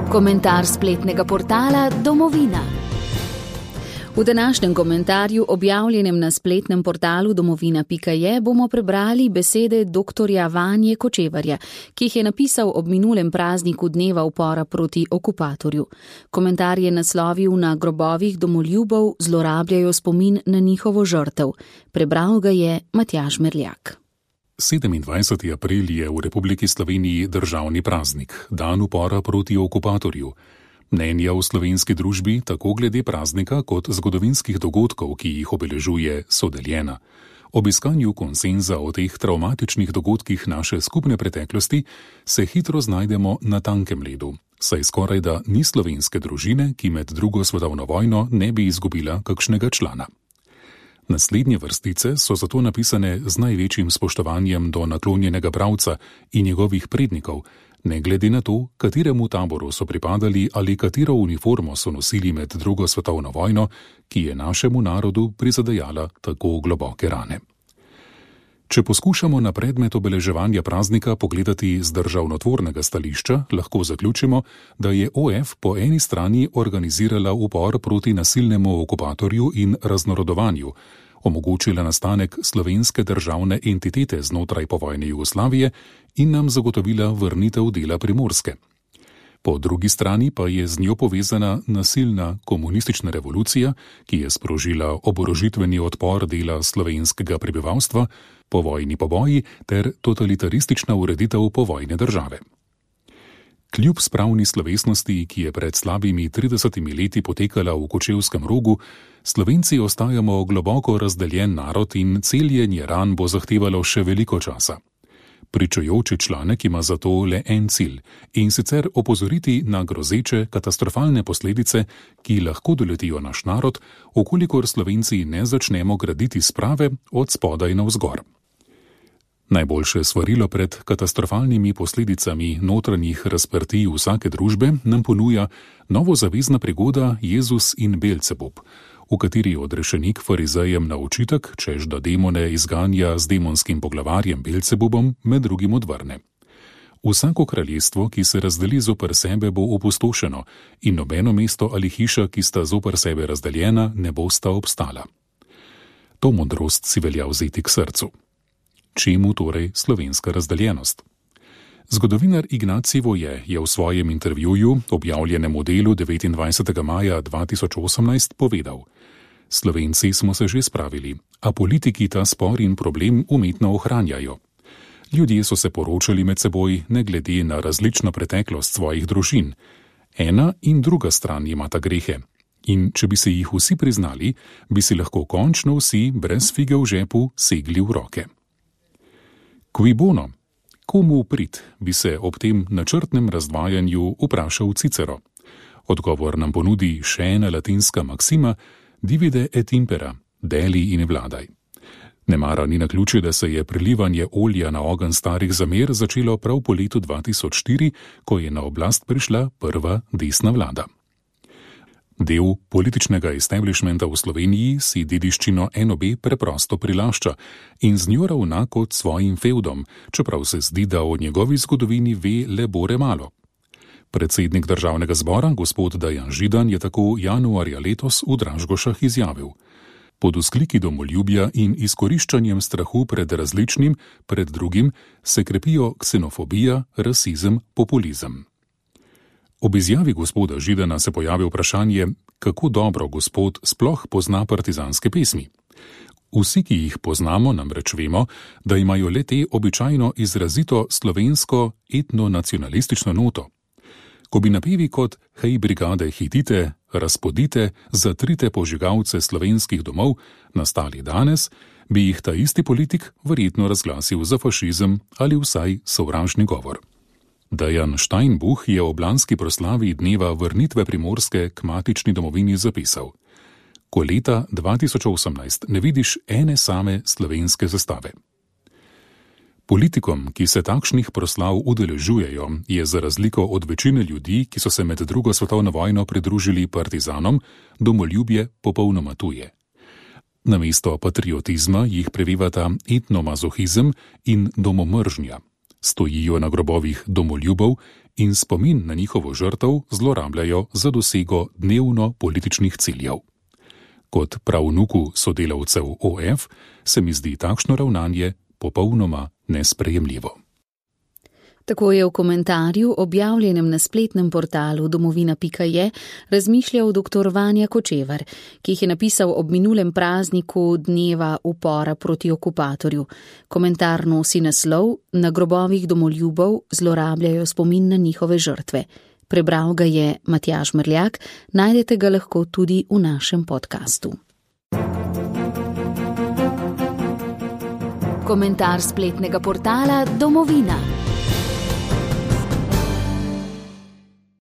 Komentar spletnega portala Domovina. V današnjem komentarju, objavljenem na spletnem portalu domovina.je, bomo prebrali besede dr. Vanje Kočevarja, ki jih je napisal ob minulem prazniku dneva upora proti okupatorju. Komentar je naslovil: Na grobovih domoljubov zlorabljajo spomin na njihovo žrtev. Prebral ga je Matjaž Merljak. 27. april je v Republiki Sloveniji državni praznik, dan upora proti okupatorju. Mnenja v slovenski družbi, tako glede praznika kot zgodovinskih dogodkov, ki jih obeležuje, so deljena. Ob iskanju konsenza o teh travmatičnih dogodkih naše skupne preteklosti se hitro znajdemo na tankem ledu, saj skorajda ni slovenske družine, ki med drugo svetovno vojno ne bi izgubila kakšnega člana. Naslednje vrstice so zato napisane z največjim spoštovanjem do naklonjenega bralca in njegovih prednikov, ne glede na to, kateremu taboru so pripadali ali katero uniformo so nosili med drugo svetovno vojno, ki je našemu narodu prizadejala tako globoke rane. Če poskušamo na predmet obeleževanja praznika pogledati z državnotvornega stališča, lahko zaključimo, da je OF po eni strani organizirala upor proti nasilnemu okupatorju in raznorodovanju, omogočila nastanek slovenske državne entitete znotraj povojne Jugoslavije in nam zagotovila vrnitev dela Primorske. Po drugi strani pa je z njo povezana nasilna komunistična revolucija, ki je sprožila oborožitveni odpor dela slovenskega prebivalstva, povojni poboji ter totalitaristična ureditev povojne države. Kljub spravni slovesnosti, ki je pred slabimi 30 leti potekala v Kočevskem Rogu, Slovenci ostajamo globoko razdeljen narod in celjenje ran bo zahtevalo še veliko časa. Pričujoči članek ima zato le en cilj, in sicer opozoriti na grozeče, katastrofalne posledice, ki lahko doletijo naš narod, okolikor Slovenci ne začnemo graditi sprave od spodaj navzgor. Najboljše svarilo pred katastrofalnimi posledicami notranjih razprtij vsake družbe nam ponuja novozavezna prigoda Jezus in Belcebub, v kateri odrešenik farizejem na očitek, češ da demone izganja z demonskim poglavarjem Belcebubom, med drugim odvrne: Vsako kraljestvo, ki se razdeli zoper sebe, bo opustošeno, in nobeno mesto ali hiša, ki sta zoper sebe razdeljena, ne bosta obstala. To modrost si velja vzeti k srcu. Čemu torej slovenska razdeljenost? Zgodovinar Ignacij Voje je v svojem intervjuju, objavljenem v Delu 29. maja 2018, povedal: Slovenci smo se že spravili, a politiki ta spor in problem umetno ohranjajo. Ljudje so se poročali med seboj, ne glede na različno preteklost svojih družin. Ena in druga stran imata grehe. In če bi se jih vsi priznali, bi si lahko končno vsi brez fige v žepu segli v roke. Cui bono? Komu v prid, bi se ob tem načrtnem razdvajanju vprašal Cicero. Odgovor nam ponudi še ena latinska maksima: divide et impera, deli in vladaj. Nemara ni naključje, da se je prilivanje olja na ogenj starih zamer začelo prav po letu 2004, ko je na oblast prišla prva desna vlada. Del političnega establishmenta v Sloveniji si dediščino NOB preprosto prilašča in z njo ravna kot svojim fevdom, čeprav se zdi, da o njegovi zgodovini ve le bore malo. Predsednik državnega zbora, gospod Dejan Židan, je tako januarja letos v Dražgošah izjavil: Pod vzkliki domoljubja in izkoriščanjem strahu pred različnim, pred drugim, se krepijo ksenofobija, rasizem, populizem. Ob izjavi gospoda Židana se pojavi vprašanje, kako dobro gospod sploh pozna partizanske pesmi. Vsi, ki jih poznamo, namreč vemo, da imajo le te običajno izrazito slovensko etnonacionalistično noto. Ko bi napevi kot hej brigade hitite, razpodite, zatrite požigalce slovenskih domov nastali danes, bi jih ta isti politik verjetno razglasil za fašizem ali vsaj sovražni govor. Dejan Steinbuch je ob lanski proslavi dneva vrnitve Primorske k matični domovini zapisal: Ko leta 2018 ne vidiš ene same slovenske zastave. Politikom, ki se takšnih proslav udeležujejo, je za razliko od večine ljudi, ki so se med drugo svetovno vojno pridružili partizanom, domoljubje popolnoma tuje. Namesto patriotizma jih prevevata etnomazohizem in domomržnja. stojijo na grobovih domoljubov in spomin na njihovo žrtev zlorabljajo za dosego dnevno političnih ciljev. Kot pravnuku sodelavcev OF se mi zdi takšno ravnanje popolnoma nesprejemljivo. Tako je v komentarju, objavljenem na spletnem portalu domovina.je, razmišljal dr. Vanja Kočevar, ki jih je napisal ob minulem prazniku dneva upora proti okupatorju. Komentar nosi naslov: Na grobovih domoljubov zlorabljajo spomin na njihove žrtve. Prebral ga je Matjaž Mrljak, najdete ga lahko tudi v našem podkastu. Komentar spletnega portala Domovina.